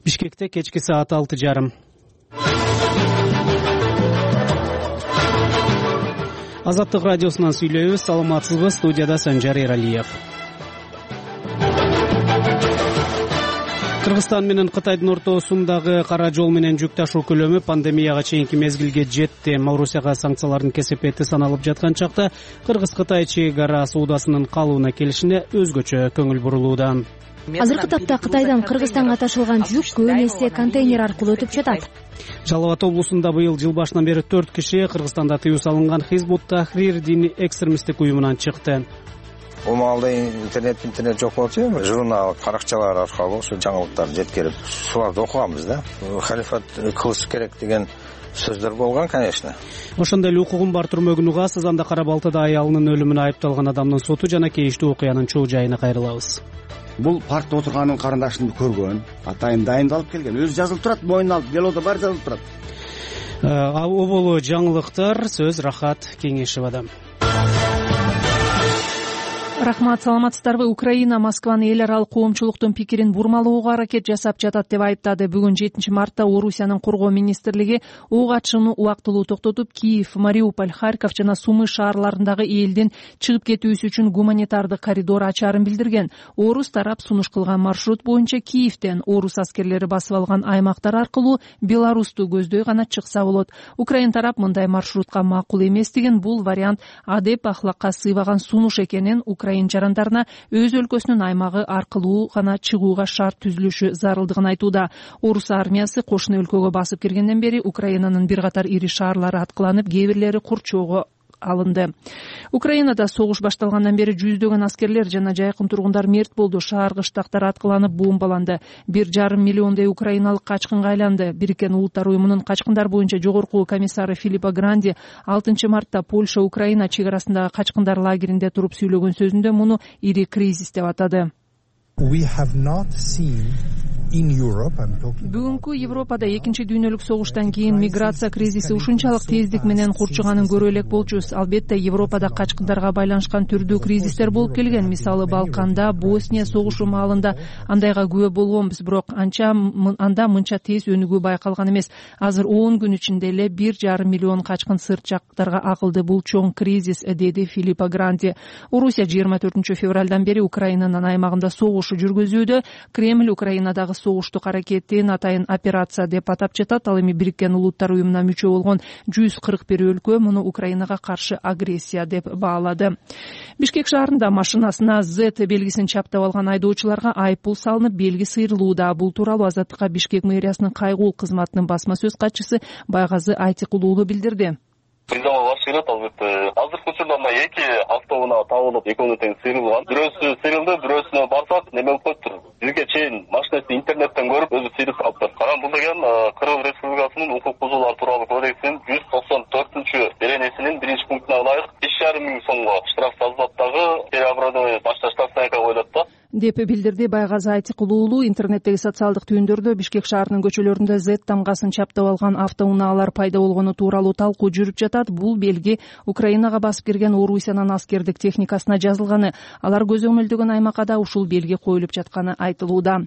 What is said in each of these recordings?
Бишкекте кечки саат 6:30. Азаттык радиосунан сүйлөйбүз. Саламатсызбы? Студияда Санжар Эралиев. Кыргызстан менен Кытайдын ортосундагы кара жол менен жүк ташуу көлөмү пандемияга чейинки мезгилге жетти. Орусияга санкциялардын кесепети саналып жаткан чакта Кыргыз-Кытай чек ара соодасынын калыбына келишине өзгөчө көңүл бурулууда. Азыркы тапта Кытайдан Кыргызстанга ташылган жүк көбүн эсе контейнер аркылуу өтүп жатат. Жалал Абад облусунда быйыл жыл башынан бери 4 киши Кыргызстанда тыюу салынган Хизбут Тахрир диний экстремисттик уюмунан чыкты. Бул маалда интернет жок болчу, журнал, каракчалар аркылуу ушу жаңылыктарды жеткирип, шуларды окуганбыз да. Халифат кылыш керек деген сөздөр болгон, конечно. Ошондой эле укугун бар түрмөгүн угас, Сызанда Кара Балтада аялынын өлүмүнө айыпталган адамдын соту жана кейиштүү окуянын чоо жайына кайрылабыз. Бул партта отурганын карындашын көргөн, атайын дайындалып келген. Өзү жазылып турат, мойнуна алып, делодо бар жазылып турат. Оболу жаңылыктар, сөз Рахат Кеңешевада. Рахмат, саламатсыздарбы? Украина Москваны эл аралык коомчулуктун пикирин бурмалоого аракет жасап жатат деп айыптады. Бүгүн 7 мартта Орусиянын коргоо министрлиги ок атышууну убактылуу токтотуп, Киев, Мариуполь, Харьков жана Сумы шаарларындагы элдин чыгып кетүүсү үчүн гуманитардык коридор ачаарын билдирген. Орус тарап сунуш кылган маршрут боюнча Киевден орус аскерлери басып алган аймактар аркылуу Беларусту көздөй гана чыкса болот. Украина тарап мындай маршрутка макул эместигин, бул вариант адеп ахлакка сыйбаган сунуш экенин, Украина жарандарына өз өлкөсүнүн аймагы аркылуу гана чыгууга шарт түзүлүшү зарылдыгын айтууда. Орус армиясы кошуна өлкөгө басып киргенден бери Украинанын бир катар ири шаарлары аткыланып, кээ бирлери курчоого алынды. Украинада согуш башталгандан бери жүздөгөн аскерлер жана жайкын тургундар мерт болду. Шаар кыштактар аткыланып, бомбаланды. 1,5 миллиондой украиналык качкынга айланды. Бириккен Улуттар уюмунун качкындар боюнча жогорку комиссары Филиппо Гранди 6 мартта Польша Украина чек арасындагы качкындар лагеринде туруп сүйлөгөн сөзүндө муну ири кризис деп атады. Бүгүнкү Европада экинчи дүйнөлүк согуштан кийин миграция кризиси ушунчалык тездик менен курчуганын көрө элек болчубуз. Албетте, Европада качкындарга байланышкан түрдүү кризистер болуп келген. Мисалы, Балканда, Босния согушу маалында андайга күбө болгонбуз, бирок анда мынча тез өнүгүү байкалган эмес. Азыр 10 күн ичинде эле 1,5 миллион качкын сырт жактарга агылды. Бул чоң кризис, деди Филиппо Гранди. Орусия 24 февралдан бери Украинанын аймагында согушу жүргүзүүдө. Кремль Украинадагы согуштук аракетин атайын операция деп атап жатат. Ал эми Бириккен Улуттар уюмуна мүчө болгон 141 өлкө муну Украинага каршы агрессия деп баалады. Бишкек шаарында машинасына Z белгисин чаптап алган айдоочуларга айыппул салынып, белги сыйрылууда. Бул тууралуу Азаттыкка Бишкек мэриясынын кайгуу кызматынын басма сөз катчысы Байгазы Айтыкулуулу билдирди. Албетте, азыркы учурда мына 2 автоунаа табылып, экөөнү тең сыйрылган. Бирөөсү сыйрылды, бирөөсүнө барсак, неме болуп коюптур. Бизге чейин машинасты интернеттен көрүп, өзү сыйрып калыптыр. Карам, бул деген Кыргыз Республикасынын укук бузуулар тууралуу кодексинин 194-беренесинин 1-пунктуна ылайык 5,5 миң сомго штраф тазалаттагы переоборудование башта штрафтайка коюлат да. Деп билдирди Байгазы Айтыкулуулу. Интернеттеги социалдык түйүндөрдө Бишкек шаарынын көчөлөрүндө Z тамгасын чаптап алган автоунаалар пайда болгону тууралуу талкуу жүрүп жатат. Бул белги Украинага басып кирген Орусиянын аскердик техникасына жазылганы. Алар көзөмөлдөгөн аймакка да ушул белги коюлуп жатканы айтылууда.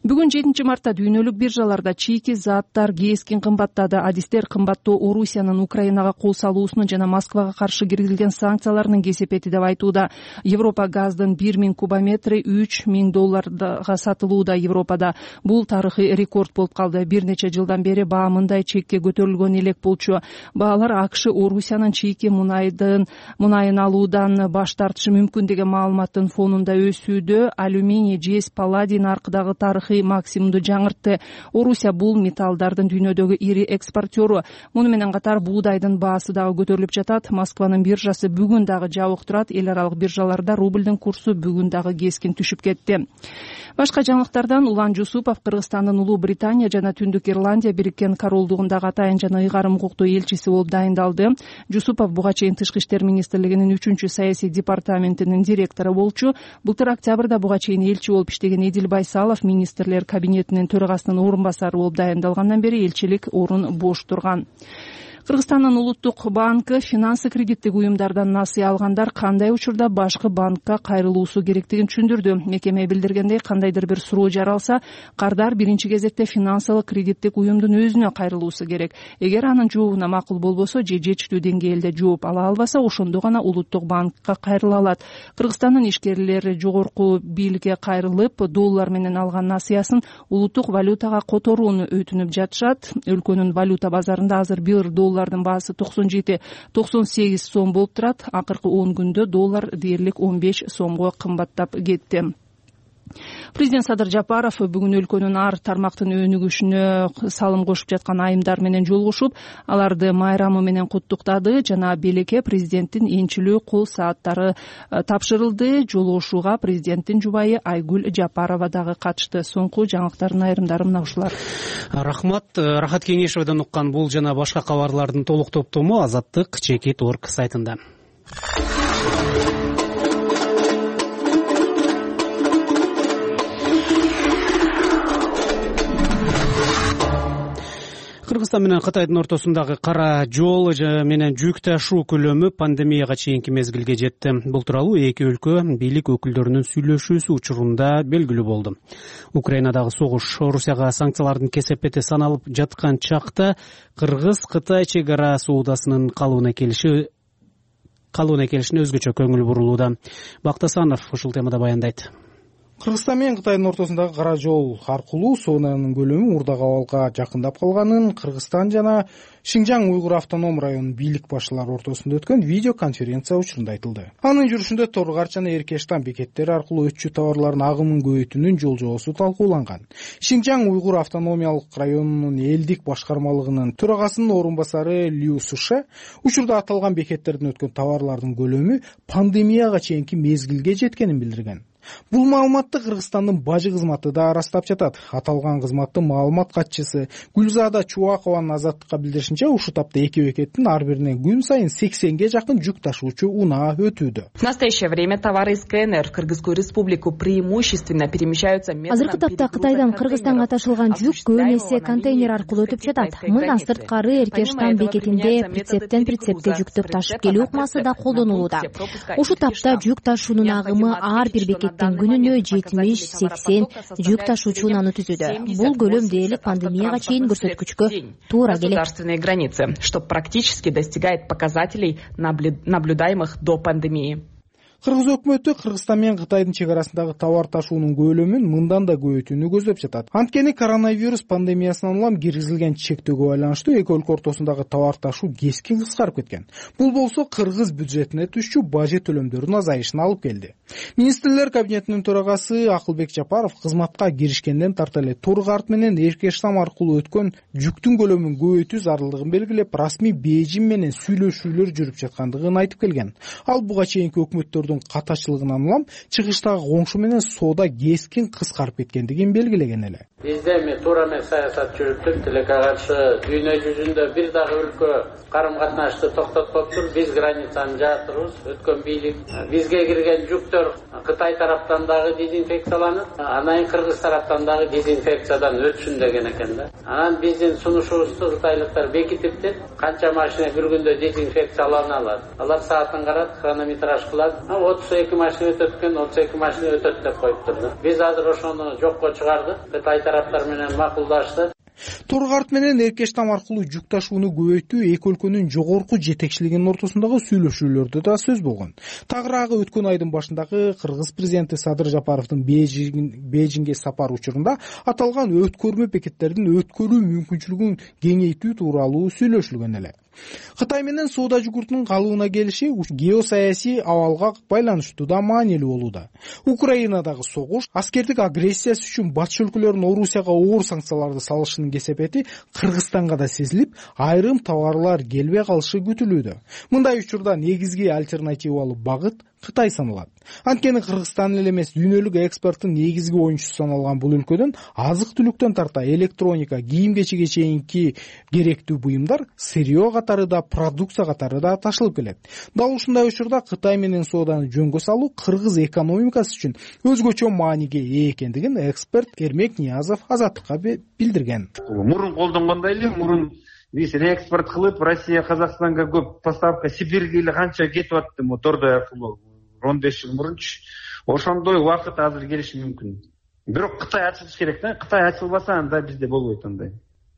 Бүгүн 7 мартта дүйнөлүк биржаларда чийки заттар кескин кымбаттады. Адистер кымбаттоо Орусиянын Украинага кол салуусунун жана Москвага каршы киргизилген санкцияларынын кесепети деп айтууда. Европа газдын 1000 кубометри $3,000 сатылууда Европада. Бул тарыхый рекорд болуп калды. Бир нече жылдан бери баа мындай чекке көтөрүлгөн элек болчу. Баалар АКШ Орусиянын чийки мунайын алуудан баш тартышы мүмкүн деген маалыматтын фонунда өсүүдө. Алюминий, жез, палладий наркыдагы тарыхый максимумду жаңыртты. Орусия бул металлдардын дүйнөдөгү ири экспортеру. Муну менен катар буудайдын баасы дагы көтөрүлүп жатат. Москванын биржасы бүгүн дагы жабык турат. Эл аралык биржаларда рублдун курсу бүгүн дагы кескин түшүп кетти. Башка жаңылыктардан Улан Жусупов Кыргызстандын Улуу Британия жана Түндүк Ирландия Бириккен Королдугундагы атайын жана ыйгарым укуктуу элчиси болуп дайындалды. Жусупов буга чейин Тышкы иштер министрлигинин 3-саясий департаментинин директору болчу. Былтыр октябрда буга чейин элчи болуп иштеген Эдил Байсалов министрлер кабинетинин төрагасынын орун басары болуп дайындалгандан бери элчилик орун бош турган. Кыргызстандын улуттук банкы финансы кредиттик уюмдардан насыя алгандар кандай учурда башкы банкка кайрылуусу керектигин түшүндүрдү. Мекеме билдиргендей, кандайдыр бир суроо жаралса, кардар биринчи кезекте финансылык кредиттик уюмдун өзүнө кайрылуусу керек. Эгер анын жообуна макул болбосо же жетиштүү деңгээлде жооп ала албаса, ошондо гана улуттук банкка кайрыла алат. Кыргызстандын ишкерлери жогорку бийликке кайрылып, доллар менен алган насыясын улуттук валютага которууну өтүнүп жатышат. Өлкөнүн валюта базарында азыр бир доллардын баасы 97-98 сом болуп турат. Акыркы 10 күндө доллар дээрлик 15 сомго кымбаттап кетти. Президент Садыр Жапаров бүгүн өлкөнүн ар тармактын өнүгүшүнө салым кошуп жаткан айымдар менен жолугушуп, аларды майрамы менен куттуктады жана белекке президенттин энчилүү кол сааттары тапшырылды. Жолугушууга президенттин жубайы Айгүл Жапарова дагы катышты. Соңку жаңылыктардын айрымдары мына ушулар. Рахмат. Рахат Кеңешовдон уккан бул жана башка кабарлардын толук топтому Азаттык Чекит.org сайтында. Кыргызстан менен Кытайдын ортосундагы кара жол менен жүк ташуу көлөмү пандемияга чейинки мезгилге жетти. Бул тууралуу эки өлкө бийлик өкүлдөрүнүн сүйлөшүүсү учурунда белгилүү болду. Украинадагы согуш Орусияга санкциялардын кесепети саналып жаткан чакта Кыргыз-Кытай чек ара соодасынын калыбына келишине өзгөчө көңүл бурулууда. Бактасанов ушул темада баяндайт. Кыргызстан менен Кытайдын ортосундагы кара жол аркылуу соонанын көлөмү Урдак абалга жакындап калганын Кыргызстан жана Шинжаң Уйгур автоном районунун бийлик башчылары ортосунда өткөн видео конференция учурунда айтылды. Анын жүрүшүндө Торгарч жана Эркештан бекеттери аркылуу өтчү товарлардын агымын көбөйтүүнүн жол жобосу талкууланган. Шинжаң Уйгур автономиялык районунун элдик башкармалыгынын төрагасынын орун басары Лю Суше учурда аталган бекеттерден өткөн товарлардын көлөмү пандемияга чейинки мезгилге жеткенин билдирген. Бул маалыматты Кыргызстандын бажы кызматы да ырастап жатат. Аталган кызматтын маалымат катчысы Гүлзада Чубакованын Азаттыкка билдиришинче, ушул тапта эки бекеттин ар биринен күн сайын 80ге жакын жүк ташуучу унаа өтүүдө. В настоящее время товары из КНР в Кыргызскую республику преимущественно перемещаются методом. Азыркы тапта Кытайдан Кыргызстанга ташылган жүк көп эсе контейнер аркылуу өтүп жатат. Мындан сырткары Эркештан бекетинде прицептен прицепке жүктөп ташып келүү ыкмасы да колдонулууда. Ушул тапта жүк ташуунун агымы ар бир бекет күнүнө 70-80 жүк ташуучу унааны түзүүдө. Бул көлөм дээрлик пандемияга чейин көрсөткүчкө туура келет. Государственные границы, что практически достигает показателей, наблюдаемых до пандемии. Кыргыз өкмөтү Кыргызстан менен Кытайдын чек арасындагы товар ташуунун көлөмүн мындан да көбөйтүүнү көздөп жатат. Анткени коронавирус пандемиясынан улам киргизилген чектөөгө байланыштуу эки өлкө ортосундагы товар ташуу кескин кыскарып кеткен. Бул болсо кыргыз бюджетине түшчү бажы төлөмдөрүнүн азайышына алып келди. Министрлер кабинетинин төрагасы Акылбек Жапаров кызматка киришкенден тарта эле Торгарт менен Эркештам аркылуу өткөн жүктүн көлөмүн көбөйтүү зарылдыгын белгилеп, расмий Бейжиң менен сүйлөшүүлөр жүрүп жаткандыгын айтып келген. Ал буга чейинки өкмөттөрдүн катачылыгынан улам чыгыштагы коңшу менен соода кескин кыскарып кеткендигин белгилеген эле. Бизде эми туура эмес саясат жүрүптүр. Тилекке каршы дүйнө жүзүндө бир дагы өлкө карым катнашты токтотпоптур. Биз границаны жаптырбыз. Өткөн бийлик бизге кирген жүктөр Кытай тараптан дагы дезинфекцияланып, анан Кыргыз тараптан дагы дезинфекциядан өтсүн деген экен да. Анан биздин сунушубузду кытайлыктар бекитиптир. Канча машина бир күндө дезинфекциялана алат. Алар саатын карап, хронометраж кылат. 32 машина өтөт экен, 32 машина өтөт деп коюптур да. Биз азыр ошону жокко чыгардык. Кытай тараптар менен макулдашты. Торгарт менен Эркештам аркылуу жүк ташууну көбөйтүү эки өлкөнүн жогорку жетекчилигинин ортосундагы сүйлөшүүлөрдө да сөз болгон. Тагыраагы өткөн айдын башындагы Кыргыз президенти Садыр Жапаровдун Бейжиңге сапары учурунда аталган өткөрмө бекеттердин өткөрүү мүмкүнчүлүгүн кеңейтүү тууралуу сүйлөшүлгөн эле. Кытай менен соода жүгүртүнүн калыбына келиши геосаясий абалга байланыштуу да маанилүү болууда. Украинадагы согуш, аскердик агрессиясы үчүн батыш өлкөлөрүнүн Орусияга оор санкцияларды салышынын кесепети Кыргызстанга да сезилип, айрым товарлар келбей калышы күтүлүүдө. Мындай учурда негизги альтернативалуу багыт Кытай саналат. Анткени Кыргызстан эле эмес, дүйнөлүк экспорттун негизги оюнчусу саналган бул өлкөдөн азык-түлүктөн тарта электроника, кийим-кечекке чейинки керектүү буюмдар сырьё катары да, продукция катары да ташылып келет. Дал ушундай учурда Кытай менен сооданы жөнгө салуу кыргыз экономикасы үчүн өзгөчө мааниге ээ экендигин эксперт Эрмек Ниязов Азаттыкка билдирген. Мурун колдонгондой эле, мурун биз реэкспорт кылып Россия Казакстанга көп поставка, Сибирьге эле канча кетип атты Тордой аркылуу 15 жыл мурунчу. Ошондой убакыт азыр келиши мүмкүн. Бирок Кытай ачылыш керек да. Кытай ачылбаса анда бизде болбойт андай.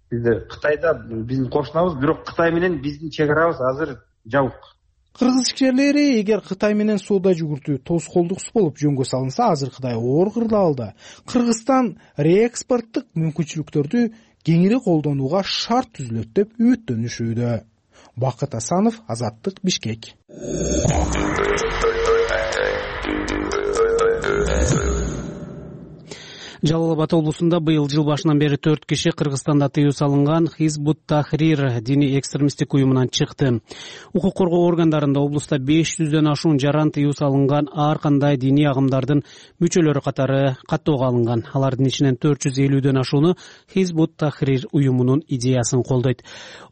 Бизде Кытайда биздин кошунабыз, бирок Кытай менен биздин чек арабыз азыр жабык. Кыргыз ишкерлери эгер Кытай менен соода жүгүртүү тоскоолдуксуз болуп жөнгө салынса, азыркыдай оор кырдаалда Кыргызстан реэкспорттук мүмкүнчүлүктөрдү кеңири колдонууга шарт түзүлөт деп үмүттөнүшүүдө. Бакыт Асанов, Азаттык, Бишкек. Жалал Абад облусунда быйыл жыл башынан бери 4 киши Кыргызстанда тыюу салынган Хизбут Тахрир диний экстремисттик уюмунан чыкты. Укук коргоо органдарында облуста 500дөн ашуун жаран тыюу салынган ар кандай диний агымдардын мүчөлөрү катары каттоого алынган. Алардын ичинен 450дөн ашууну Хизбут Тахрир уюмунун идеясын колдойт.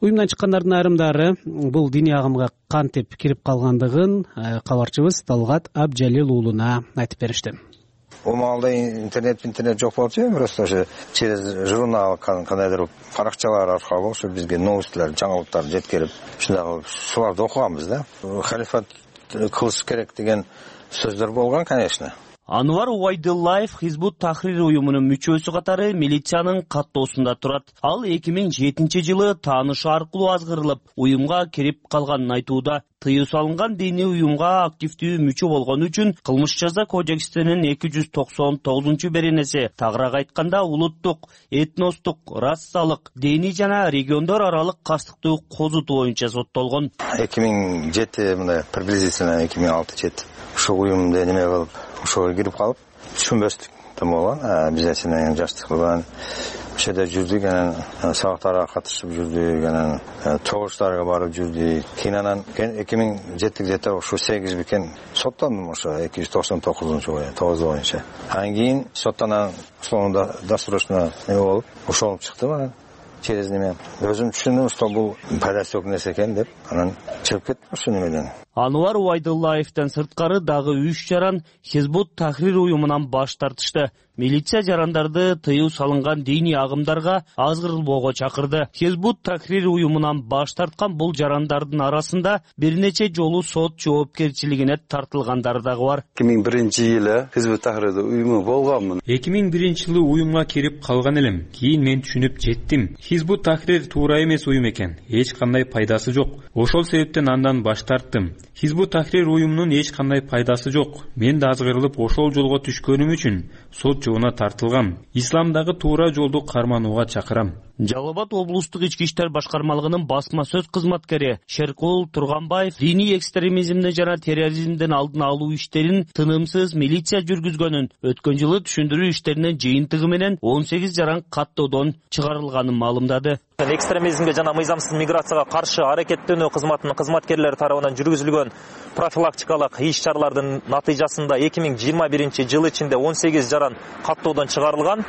Уюмдан чыккандардын айрымдары бул диний агымга кантип кирип калгандыгын кабарчыбыз Талгат Абджалил уулуна айтып беришти. У маалда интернет жок болчу, просто ошо через журнал кандайдыр баракчалар аркылуу ошо бизге новосттер, жаңылыктар жеткирип, ушундагы шуларды окуганбыз да. Халифат кылыш керек деген сөздөр болгон, конечно. Анвар Уайдыллаев Хизбут Тахрир уюмунун мүчөсү катары милициянын каттоосунда турат. Ал 2007-жылы таанышы аркылуу азгырылып, уюмга кирип калганын айтууда. Тыюу салынган диний уюмга активдүү мүчө болгон үчүн кылмыш жаза кодексинин 299-беренеси, тагыраак айтканда улуттук, этностук, расалык, диний жана региондор аралык кастыктуу козутуу боюнча соттолгон. 2007 мындай приблизительно 2006-7 ушул уюмда неме кылып, ошого кирип калып, түшүнбөстүк болгон. Биз сенен жаштык кылган, ошо жерде жүрдүк, анан сабактарга катышып жүрдүк, анан чогулуштарга барып жүрдүк. Кийин анан 2007-жылы ошо 8 бикен соттондум, ошо 299 боюнча. Анан кийин соттан условно досрочно болуп, ошолуп чыктым анан. Через неме өзүм түшүндүм, что бул пайдасы жок нерсе экен деп, анан чыгып кеттим ошо немеден. Анвар Уайдыллаевден сырткары дагы 3 жаран Хизбут Тахрир уюмунан баш тартышты. Милиция жарандарды тыюу салынган диний агымдарга азгырылбоого чакырды. Хизбут Тахрир уюмунан баш тарткан бул жарандардын арасында бир нече жолу сот жоопкерчилигине тартылгандары дагы бар. 2001-жылы Хизбут Тахрир уюму болгонмун. 2001-жылы уюмга кирип калган элем. Кийин мен түшүнүп жеттим. Хизбут Тахрир туура эмес уюм экен. Эч кандай пайдасы жок. Ошол себептен андан баш тарттым. Хизбут Тахрир уюмунун эч кандай пайдасы жок. Мен да азгырылып ошол жолго түшкөнүм үчүн сот жоона тартылгам. Исламдагы туура жолду карманууга чакырам. Жалал Абад облустук ички иштер башкармалыгынын басма сөз кызматкери Шеркул Турганбаев диний экстремизмди жана терроризмдин алдын алуу иштерин тынымсыз милиция жүргүзгөнүн, өткөн жылы түшүндүрүү иштеринин жыйынтыгы менен 18 жаран каттоодон чыгарылганын маалымдады. Экстремизмге жана мыйзамсыз миграцияга каршы аракеттенүү кызматынын кызматкерлери тарабынан жүргүзүлгөн профилактикалык иш-чаралардын натыйжасында 2021-жыл ичинде 18 жаран каттоодон чыгарылган.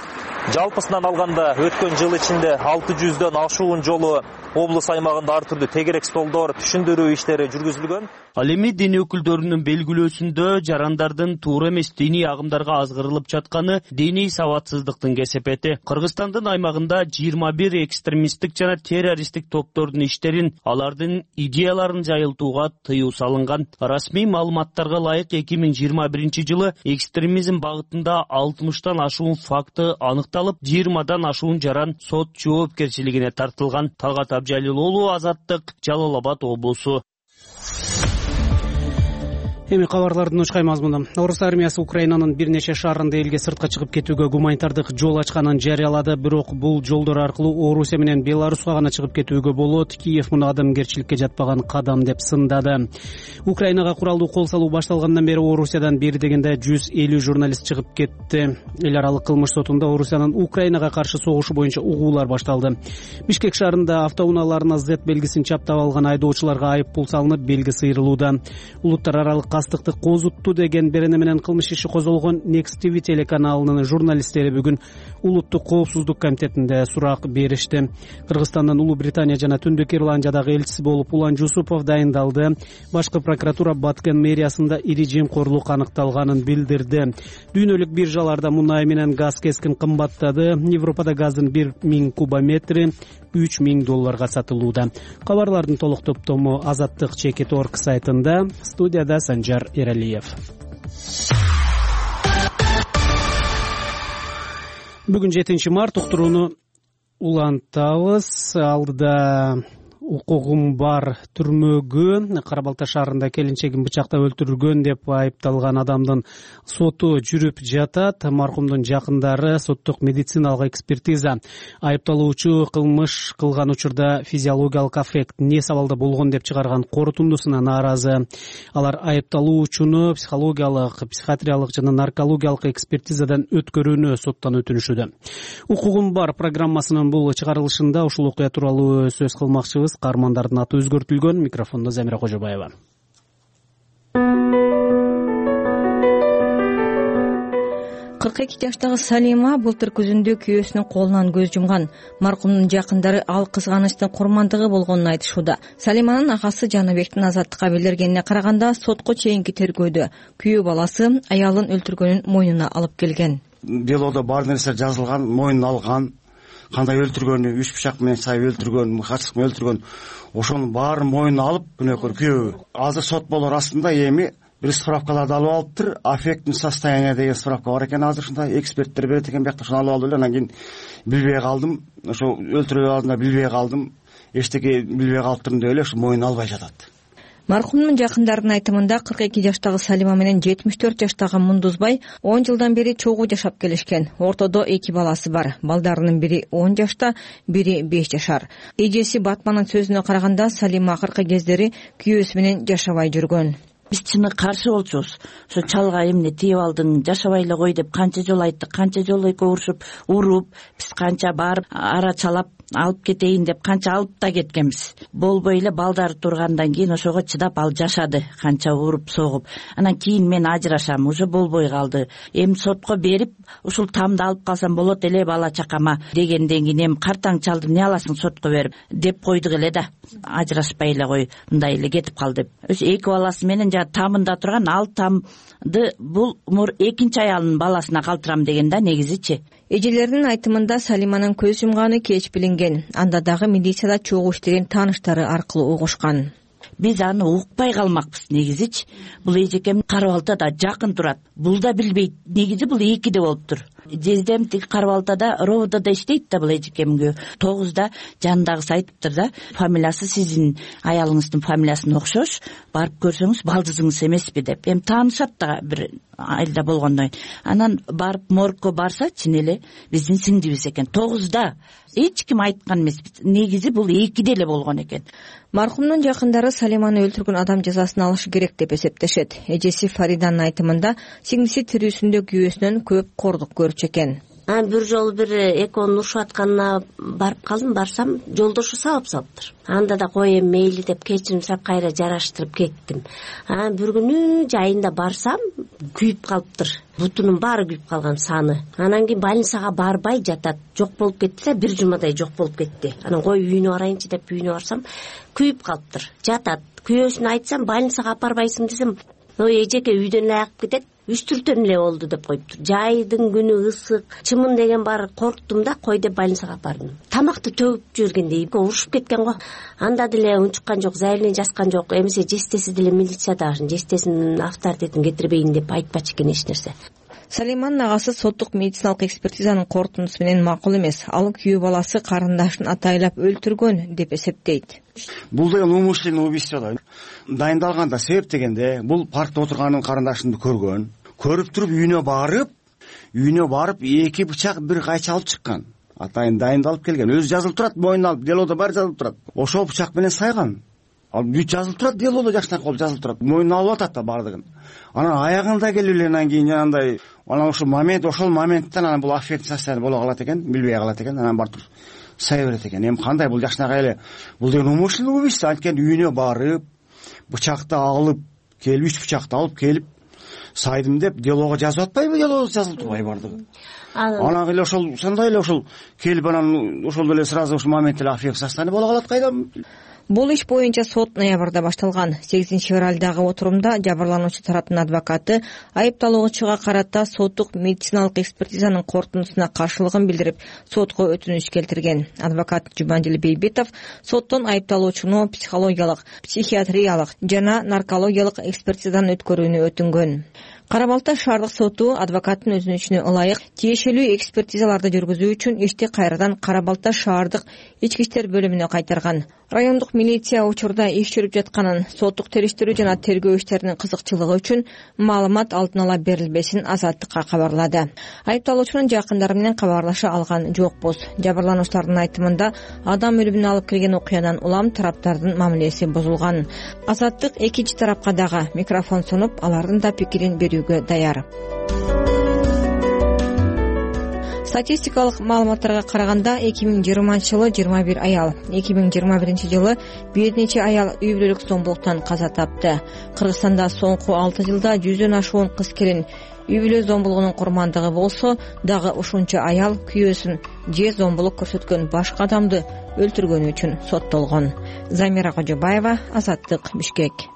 Жалпысынан алганда өткөн жыл ичинде 600дөн ашуун жолу облус аймагында ар түрдүү тегерек столдор, түшүндүрүү иштери жүргүзүлгөн. Ал эми дин өкүлдөрүнүн белгилөөсүндө жарандардын туура эмес диний агымдарга азгырылып жатканы диний сабатсыздыктын кесепети. Кыргызстандын аймагында 21 экстремисттик жана террористтик топтордун иштерин, алардын идеяларын жайылтууга тыюу салынган. Расмий маалыматтарга ылайык 2021-жылы экстремизм багытында 60тан ашуун факты аныкталып, 20дан ашуун жаран сот жоопкерчилигине тартылган. Талгат Абджалил уулу, Азаттык, Жалал Абад облусу. Эми кабарлардын учкай мазмуну. Орус армиясы Украинанын бир нече шаарында элге сыртка чыгып кетүүгө гуманитардык жол ачканын жарыялады, бирок бул жолдор аркылуу Орусия менен Беларуска гана чыгып кетүүгө болот. Киев муну адамгерчиликке жатпаган кадам деп сындады. Украинага куралдуу кол салуу башталгандан бери Орусиядан бери дегенде 150 журналист чыгып кетти. Эл аралык кылмыш сотунда Орусиянын Украинага каршы согушу боюнча угуулар башталды. Бишкек шаарында автоунааларына Z белгисин чаптап алган айдоочуларга айып пул салынып, белги сыйрылууда. Улуттар аралык кастыкты козутту деген берене менен кылмыш иши козголгон Next TV телеканалынын журналисттери бүгүн улуттук коопсуздук комитетинде сурак беришти. Кыргызстандын Улуу Британия жана Түндүк Ирландиядагы элчиси болуп Улан Жусупов дайындалды. Башкы прокуратура Баткен мэриясында ири жемкорлук аныкталганын билдирди. Дүйнөлүк биржаларда мунай менен газ кескин кымбаттады. Европада газдын 1000 кубометри $3000 сатылууда. Кабарлардын толук топтому Азаттык Чекит.org сайтында. Студияда Санжар Эралиев. Бүгүн 7 март уктурууну улантабыз. Алдыда укугум бар түрмөгө Кара Балта шаарында келинчегин бычактап өлтүргөн деп айыпталган адамдын соту жүрүп жатат. Маркумдун жакындары соттук медициналык экспертиза айыпталуучу кылмыш кылган учурда физиологиялык аффект не сабалда болгон деп чыгарган корутундусуна нааразы. Алар айыпталуучуну психологиялык, психиатриялык жана наркологиялык экспертизадан өткөрүүнү соттон өтүнүшүүдө. Укугум бар программасынын бул чыгарылышында ушул окуя тууралуу сөз кылмакчыбыз. Каармандардын аты өзгөртүлгөн. Микрофондо Замира Кожобаева. 42 жаштагы Салима былтыр күзүндө күйөөсүнүн колунан көз жумган. Маркумдун жакындары ал кызганычтын курмандыгы болгонун айтышууда. Салиманын агасы Жаныбектин азаттыкка билдиргенине караганда сотко чейинки тергөөдө күйөө баласы аялын өлтүргөнүн мойнуна алып келген. Делодо бар нерсе жазылган, мойнуна алган. Кандай өлтүргөнү, 3 бычак менен сайып өлтүргөн, качкык менен өлтүргөн, ошонун баарын мойнуна алып, күнөөкөр күйөө. Азыр сот болор астында эми бир справкаларды алып алыптыр. Аффектный состояние деген справка бар экен, азыр ушундай эксперттер берет экен, биякта ошону алып алып эле, анан кийин билбей калдым. Ошо өлтүрүү алдында билбей калдым. Эчтеке билбей калыптырмын деп эле ошо мойнуна албай жатат. Маркумдун жакындарынын айтымында 42 жаштагы Салима менен 74 жаштагы Мундузбай 10 жылдан бери чогуу жашап келишкен. Ортодо 2 баласы бар. Балдарынын бири 10 жашта, бири 5 жашар. Эжеси Батманын сөзүнө караганда Салима акыркы кездери күйөөсү менен жашабай жүргөн. Биз чыны каршы болчубуз. Ошо чалга эмне тийип алдың, жашабай эле кой деп канча жолу айттык, канча жолу экөө уруп, биз канча барып ара чалап алып кетейин деп канча алып да кеткенбиз. Болбой эле балдары тургандан кийин ошого чыдап ал жашады, канча уруп согуп. Анан кийин мен ажырашам, уже болбой калды. Эми сотко берип, ушул тамды алып калсам болот эле бала чакама дегенден кийин эми картаң чалды эмне аласың сотко берип деп койдук эле да. Ажырашпай эле кой, мындай эле кетип кал деп. Ошо 2 баласы менен жана тамында турган, ал тамды бул экинчи аялынын баласына калтырам деген да негизичи. Эжелердин айтымында Салиманын көз жумганы кеч билинген. Анда дагы милицияда чогуу иштеген тааныштары аркылуу угушкан. Биз аны укпай калмакпыз негизичи. Бул эжекем Кара Балтада жакын турат. Бул да билбейт. Негизи бул 2де болуптур. Жездем тик Кара Балтада ровдода иштейт да бул эжекемге. 9да жанындагысы айтыптыр да, фамилиясы сиздин аялыңыздын фамилиясына окшош, барып көрсөңүз балдызыңыз эмеспи деп. Эми таанышат да бир айылда болгондон. Анан барып моргко барса чын эле биздин сиңдибиз экен. 9да эч ким айткан эмес. Негизи бул 2де эле болгон экен. Маркумдун жакындары Салиманы өлтүргөн адам жазасын алышы керек деп эсептешет. Эжеси Фариданын айтымында сиңдиси тирүүсүндө күйөөсүнөн көп кордук көрчү экен. Бир жолу бир экөөнүн урушуп атканына барып калдым, барсам жолдошу сабап салыптыр. Анда да кой эми мейли деп кечирим сурап кайра жараштырып кеттим. Бир күнү жайында барсам күйүп калыптыр. Бутунун баары күйүп калган, саны. Анан кийин больницага барбай жатат. Жок болуп кетти да, бир жумадай жок болуп кетти. Анан кой үйүнө барайынчы деп үйүнө барсам күйүп калыптыр. Жатат. Күйөөсүнө айтсам больницага апарбайсың десем, эжеке үйдөн эле агып кетет. 3-4 эле болду деп коюптур. Жайдын күнү ысык, чымын деген бар, корктум да, кой деп больницага бардым. Тамакты төгүп жүргендей урушуп кеткен го. Анда деле унчуккан жок, заявление жазган жок. Эмесе жестеси деле милицияда, жестесинин авторитетин кетирбейин деп айтпачу экен эч нерсе. Салиманын агасы соттук медициналык экспертизанын корутундусу менен макул эмес. Ал күйөө баласы карындашын атайлап өлтүргөн деп эсептейт. Бул деген умышленный убийство да. Дайындалганда себеп дегенде бул паркта отурганын карындашын көргөн. Көрүп туруп үйүнө барып 2 бычак бир кайчы алып чыккан. Атайын дайындалып келген. Өзү жазылып турат, мойнуна алып, делодо бар жазылып турат. Ошол бычак менен сайган. Ал бүт жазылып турат, делодо жакшынан кол жазылып турат. Мойнуна алып атат да бардыгын. Анан аягында келип эле анан кийин жанагындай, анан ошол моменттен анан бул аффект состояние боло калат экен, билбей калат экен, анан барып сая берет экен. Эми кандай бул жакшынакай эле, бул деген умышленный убийство, анткени үйүнө барып, бычакты алып келип 3 бычакты алып келип сайдым деп делого жазып атпайбы, делого жазылып турбайбы бардыгы. Анан эле ошол сондай эле ошол келип анан ошол эле сразу ушул момент эле аффект состояние боло калат кайдам. Бул иш боюнча сот ноябрда башталган. 8-февралдагы отурумда жабырлануучу тараптын адвокаты айыпталуучуга карата соттук медициналык экспертизанын корутундусуна каршылыгын билдирип, сотко өтүнүч келтирген. Адвокат Жубандил Бейбитов соттон айыпталуучуну психологиялык, психиатриялык жана наркологиялык экспертизадан өткөрүүнү өтүнгөн. Кара Балта шаардык соту адвокаттын өтүнүчүнө ылайык тиешелүү экспертизаларды жүргүзүү үчүн ишти кайрадан Кара Балта шаардык ички иштер бөлүмүнө кайтарган. Райондук милиция учурда иш жүрүп жатканын, соттук териштирүү жана тергөө иштеринин кызыкчылыгы үчүн маалымат алдын ала берилбесин Азаттыкка кабарлады. Айыпталуучунун жакындары менен кабарлаша алган жокпуз. Жабырлануучулардын айтымында адам өлүмүнө алып келген окуядан улам тараптардын мамилеси бузулган. Азаттык экинчи тарапка дагы микрофон сунуп, алардын да пикирин берүүгө даяр. Статистикалык маалыматтарга караганда 2020-жылы 21 аял, 2021-жылы бир нече аял үй бүлөлүк зомбулуктан каза тапты. Кыргызстанда соңку 6 жылда 100дөн ашуун кыз-келин үй бүлө зомбулугунун курмандыгы болсо, дагы ушунча аял күйөөсүн же зомбулук көрсөткөн башка адамды өлтүргөнү үчүн соттолгон. Замира Кожобаева, Азаттык, Бишкек.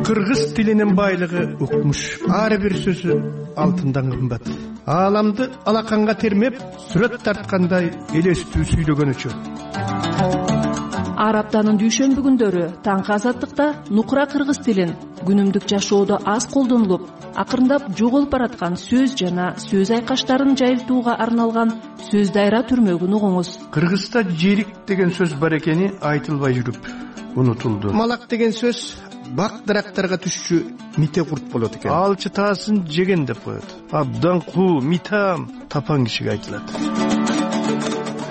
Кыргыз тилинин байлыгы укмуш. Ар бир сөзү алтындан кымбат. Ааламды алаканга термеп, сүрөт тарткандай элестүү сүйлөгөнүчү. Ар аптанын дүйшөмбү күндөрү таңкы Азаттыкта нукура кыргыз тилин күнүмдүк жашоодо аз колдонулуп, акырындап жоголуп бараткан сөз жана сөз айкаштарын жайылтууга арналган сөз дайра түрмөгүн угуңуз. Кыргызда жерик деген сөз бар экени айтылбай жүрүп унутулду. Малак деген сөз бак дарактарга түшчү мите курт болот экен. Алчы таасын жеген деп коет. Абдан куу, митам тапан кишиге айтылат.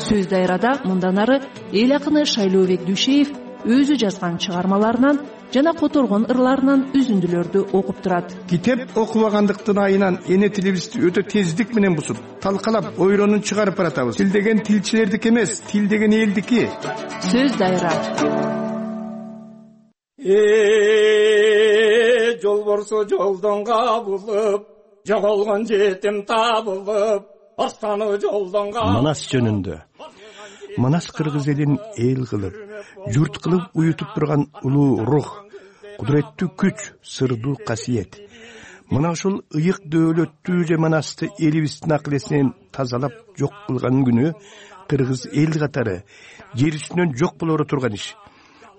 Сөз дайрада мындан ары эл акыны Шайлообек Дүйшеев өзү жазган чыгармаларынан жана которгон ырларынан үзүндүлөрдү окуп турат. Китеп окубагандыктын айынан эне тилибизди өтө тездик менен бузуп, талкалап, ойронун чыгарып баратабыз. Тил деген тилчилердики эмес, тил деген элдики. Сөз дайра. Жолборсу жолдон кабылып, жоголгон жетим табылып, астаны жолдон кабылып. Манас жөнүндө. Манас кыргыз элин эл кылып, журт кылып уютуп турган улуу рух, кудуреттүү күч, сырдуу касиет. Мына ушул ыйык дөөлөттүү же манасты элибиздин акыл-эсинен тазалап жок кылган күнү кыргыз эл катары жер үстүнөн жок болоро турган иш.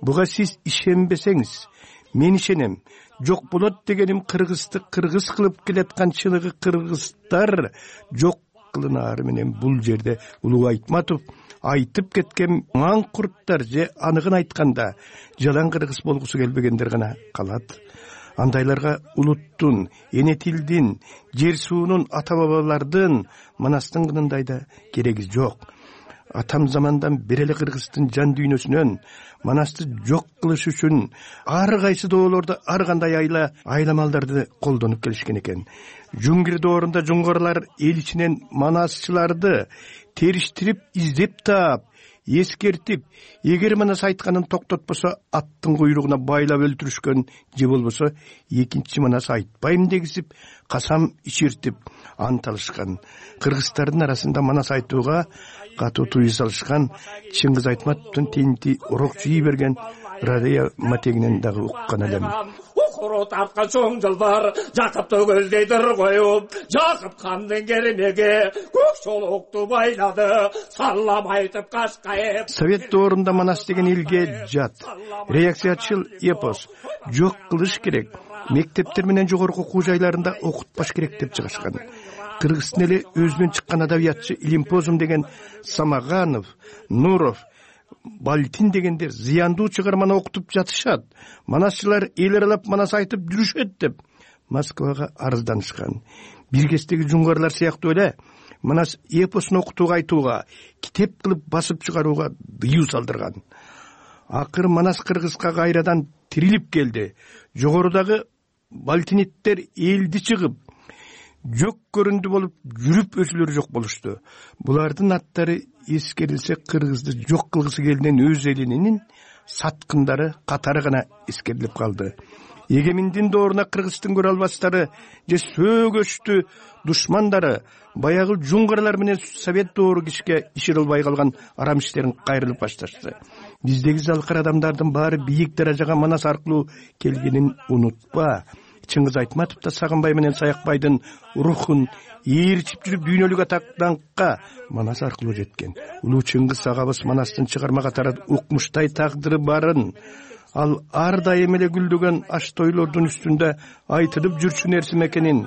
Буга сиз ишенбесеңиз, мен ишенем. Жок болот дегеним кыргызды кыргыз кылып келаткан чыныгы кыргыздар жок кылынаары менен бул жерде Улуу Айтматов айтып кеткен маңкурттар же аныгын айтканда жалаң кыргыз болгусу келбегендер гана калат. Андайларга улуттун, эне тилдин, жер суунун, ата бабалардын, манастын кынындай да кереги жок. Атам замандан бери эле кыргыздын жан дүйнөсүнөн манасты жок кылыш үчүн ар кайсы доолордо ар кандай айламалдарды колдонуп келишкен экен. Жуңгир доорунда жуңгарлар эл ичинен манасчыларды териштирип, издеп таап, эскертип, эгер манас айтканын токтотпосо аттын куйругуна байлап өлтүрүшкөн же болбосо экинчи манас айтпайм дегизип, касам ичиртип ант алышкан. Кыргыздардын арасында манас айтууга катуу тыюу салышкан Чыңгыз Айтматовдун тинти урок жий берген Радия матегинен дагы уккан элем. Укуру тарткан чоң жылдар Жакыпты көздейдир коюп, Жакып кандын кермеге көк шолокту байлады, саллам айтып кашкайып. Совет доорунда манас деген элге жат, реакциячыл эпос, жок кылыш керек, мектептер менен жогорку окуу жайларында окутпаш керек деп чыгышкан. Кыргыздын эле өзүнөн чыккан адабиятчы Илимпозум деген Самаганов, Нуров, Балтин дегендер зыяндуу чыгарманы окутуп жатышат. Манасчылар эл аралап манас айтып жүрүшөт деп Москвага арызданышкан. Бир кездеги жуңгарлар сыяктуу эле манас эпосун окутууга айтууга, китеп кылып басып чыгарууга дыюу салдырган. Акыр манас кыргызга кайрадан тирилип келди. Жогорудагы балтиниттер элди чыгып, жок көрүндү болуп жүрүп өзүлөрү жок болушту. Булардын аттары эскерилсе кыргызды жок кылгысы келген өз элинин саткындары катары гана эскерилип калды. Эгеминдин дооруна кыргыздын көрө албастары же сөөгөчтү душмандары баягы жуңгаралар менен совет доору кишиге ишире албай калган арам иштерин кайрылып башташты. Биздеги залкар адамдардын баары бийик даражага Манас аркылуу келгенин унутпа. Чыңгыз Айтматов да Сагынбай менен Саякбайдын рухун ээрчип жүрүп дүйнөлүк атактанкка Манас аркылуу жеткен. Улуу Чыңгыз агабыз Манастын чыгарма катары укмуштай тагдыры барын, ал ар дайым эле гүлдөгөн аш тойлордун үстүндө айтылып жүрчү нерсе экенин,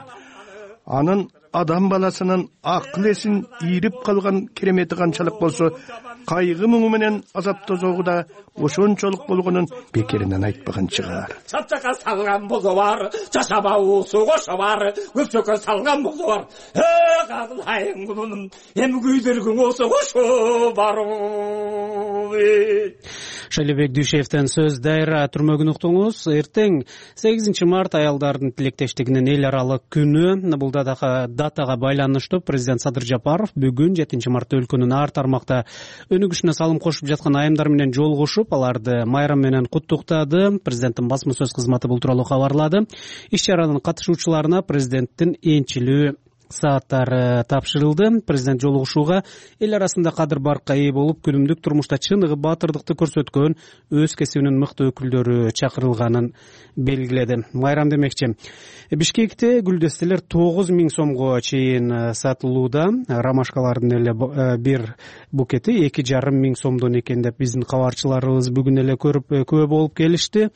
анын адам баласынын акыл эсин ийрип калган керемети канчалык болсо, кайгы муңу менен азап тозогу да ошончолук болгонун бекеринен айтпаган чыгар. Чапчакка салган болсо бар, жашаба уусу кошо бар, көпчөккө салган болсо бар. Кадылайын кулунун, эми күйдүргүң болсо кошо бар. Шайлебек Дүйшевден сөз. Дайра түрмөгүн уктуңуз. Эртең 8 март аялдардын тилектештигинин эл аралык күнү. Бул датага байланыштуу президент Садыр Жапаров бүгүн 7 мартта өлкөнүн ар тармакта өнүгүшүнө салым кошуп жаткан айымдар менен жолугушуп, аларды майрам менен куттуктады. Президенттин басма сөз кызматы бул тууралуу кабарлады. Иш-чаранын катышуучуларына президенттин энчилүү сааттары тапшырылды. Президент жолугушууга эл арасында кадыр баркка ээ болуп, күнүмдүк турмушта чыныгы баатырдыкты көрсөткөн өз кесибинин мыкты өкүлдөрү чакырылганын белгиледи. Майрам демекчи, Бишкекте гүлдестелер 9000 сомго чейин сатылууда. Ромашкалардын эле бир букети 2,5 сомдон экен деп биздин кабарчыларыбыз бүгүн эле көрүп күбө болуп келишти.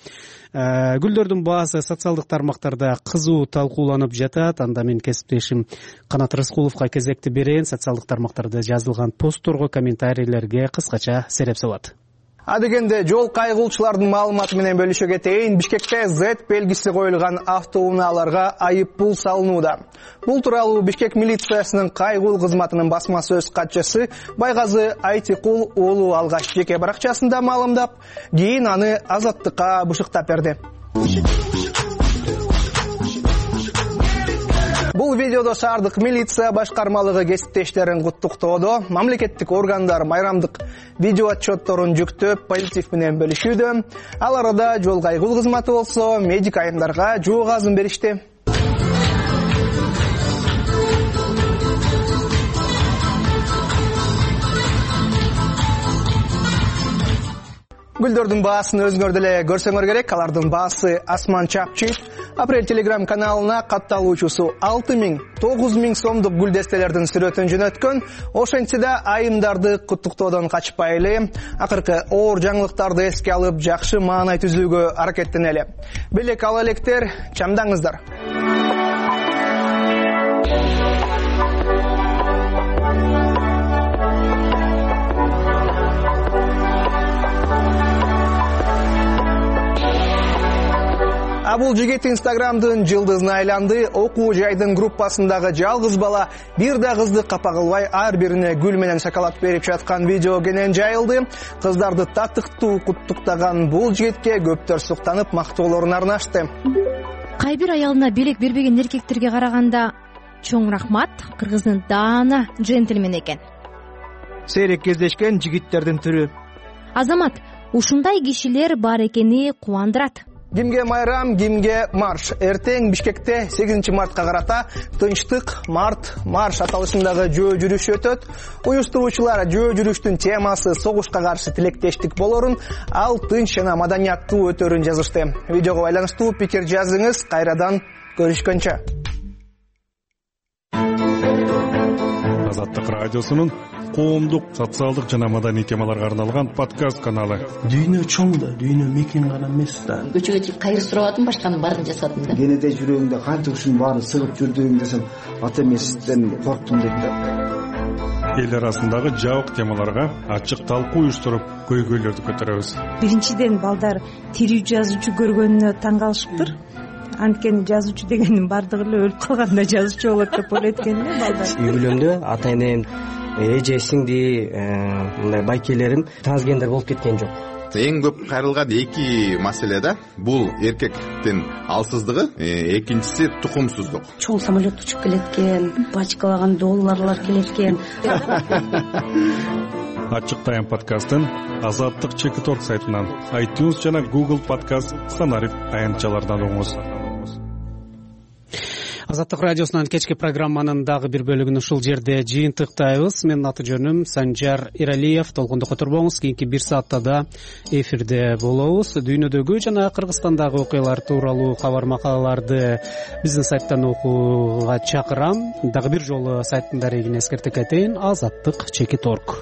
Гүлдөрдүн баасы социалдык тармактарда кызуу талкууланып жатат. Анда мен кесиптешим Канат Рыскуловго кезекти берейин. Социалдык тармактарда жазылган постторго, комментарийлерге кыскача сереп салат. Адегенде жол кайгылчылардын маалыматы менен бөлүшө кетейин. Бишкекте Z белгиси коюлган автоунaalарга айып пул салынууда. Бул тууралуу Бишкек милициясынын кайгыл кызматынын басма сөз катчысы Байгазы Айтикул уулу алгач жеке баракчасында маалымдап, кийин аны Азаттыкка бышыктап берди. Бул видеодо шаардык милиция башкармалыгы кесиптештерин куттуктоодо, мамлекеттик органдар майрамдык видео отчетторун жүктөп, позитив менен бөлүшүүдө. Ал арада жол кайгыл кызматы болсо медик айымдарга жоо газын беришти. Гүлдөрдүн баасын өзүңөр деле көрсөңөр керек. Алардын баасы Асман Чапчит. Апрель телеграм каналына катталуучусу 6000-9000 сомдук гүлдестелердин сүрөтүн жөнөткөн. Ошентсе да айымдарды куттуктоодон качпайлы. Акыркы оор жаңылыктарды эске алып, жакшы маанай түзүүгө аракеттенели. Белек ала электер, чамдаңыздар. Бул жигит Инстаграмдын жылдызына айланды. Окуу жайдын группасындагы жалгыз бала бир да кызды капа кылбай ар бирине гүл менен шоколад берип жаткан видео кенен жайылды. Кыздарды татыктуу куттуктаган бул жигитке көптөр суктанып, мактоолорун арнашты. Кай бир аялына белек бербеген эркектерге караганда чоң рахмат. Кыргыздын даана джентльмен экен. Сейрек кездешкен жигиттердин түрү. Азамат, ушундай кишилер бар экени кубандырат. Кимге майрам, кимге марш. Эртең Бишкекте 8 мартка карата тынчтык марш аталышындагы жөө жүрүш өтөт. Уюштуруучулар жөө жүрүштүн темасы согушка каршы тилектештик болорун, ал тынч жана маданияттуу өтөрүн жазышты. Видеого байланыштуу пикир жазыңыз. Кайрадан көрүшкөнчө. Азаттык радиосунун коомдук, социалдык жана маданий темаларга арналган подкаст каналы. Дүйнө чоң да, дүйнө мекен гана эмес да. Көчөгө чыгып кайыр сурабадым, башканын баарын жасадым да. Кенеде жүрөгүңдө канча ушунун баарын сыгып жүрдүң десем, ата эмесизден корктум дейт да. Эл арасындагы жабык темаларга ачык талкуу уюштуруп, көйгөйлөрдү көтөрөбүз. Биринчиден балдар тирүү жазуучу көргөнүнө таң калышыптыр. Анткени жазуучу дегендин бардыгы эле өлүп калганда жазуучу болот деп ойлойт экен да балдар. Үй бүлөмдө ата энем, эже сиңди мындай байкелерим трансгендер болуп кеткен жок. эң көп кайрылган эки маселе да, бул эркектин алсыздыгы, экинчиси тукумсуздук. чоң самолет учуп келет экен, бачкалаган долларлар келет экен. Ачык Тайм подкастын Азаттык Чекиторг сайтынан, iTunes жана Google подкаст стандарт аянтчалардан угуңуз. Азаттык радиосунан кечки программанын дагы бир бөлүгүн ушул жерде жыйынтыктайбыз. Менин аты жөнүм Санжар Иралиев. Толкундукка турбоңуз. Кийинки бир саатта да эфирде болобуз. Дүйнөдөгү жана Кыргызстандагы окуялар тууралуу кабар макалаларды биздин сайттан окууга чакырам. Дагы бир жолу сайттын дарегин эскертип кетейин: Азаттык Чекиторг.